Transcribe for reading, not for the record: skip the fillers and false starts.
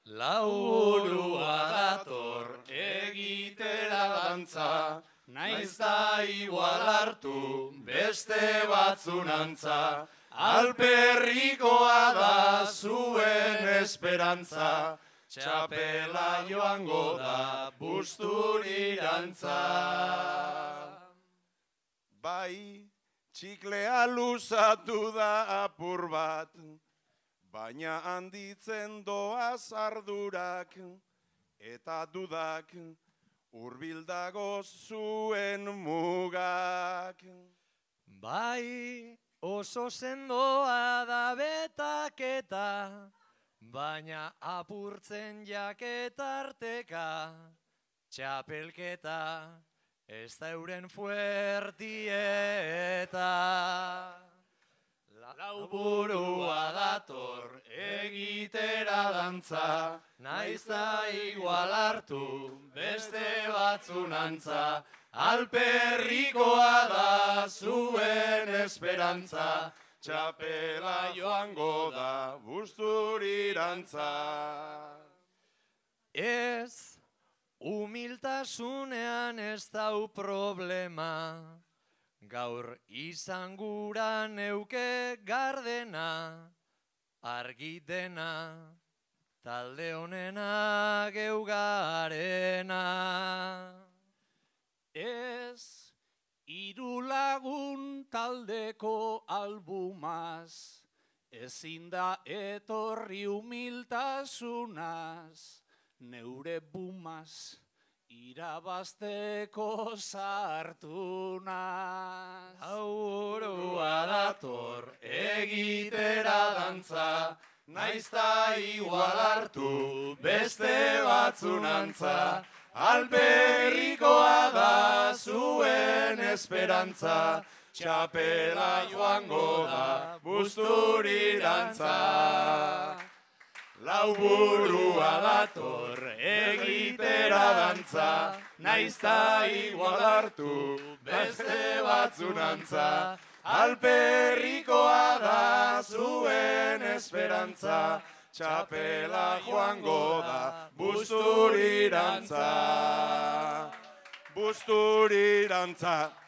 Lauburua dator egitera dantza, naiz da igual hartu beste batzunantza, alperrikoa da zuen esperantza, txapela joango da busturirantza. Bai, txiklea luzatu da apur bat, baina handitzen doaz ardurak eta dudak hurbildago zuen mugak. Bai, oso sendoa da betaketa, baina apurtzen jaketarteka, txapelketa ez da euren fuertieta. Lauburua dator egitera dantza, naiz da igual hartu beste batzunantza, alperrikoa da zuen esperantza, txapela joango da busturirantza. Ez, humiltasunean ez dau problema, gaur izan gura neuke gardena, argi dena, talde honena geugarena. Ez, hiru lagun taldeko albumaz, ezin da etorri humiltasunaz, neure bumaz, irabazteko sartu naz. Lauburua dator egitera dantza, naiz da igual hartu beste batzunantza, alperrikoa da zuen esperantza, txapela joango da busturirantza. Lauburua dator egitera dantza, naiz da igual hartu beste batzunantza, alperrikoa da zuen esperantza, txapela joango da busturirantza. Busturirantza.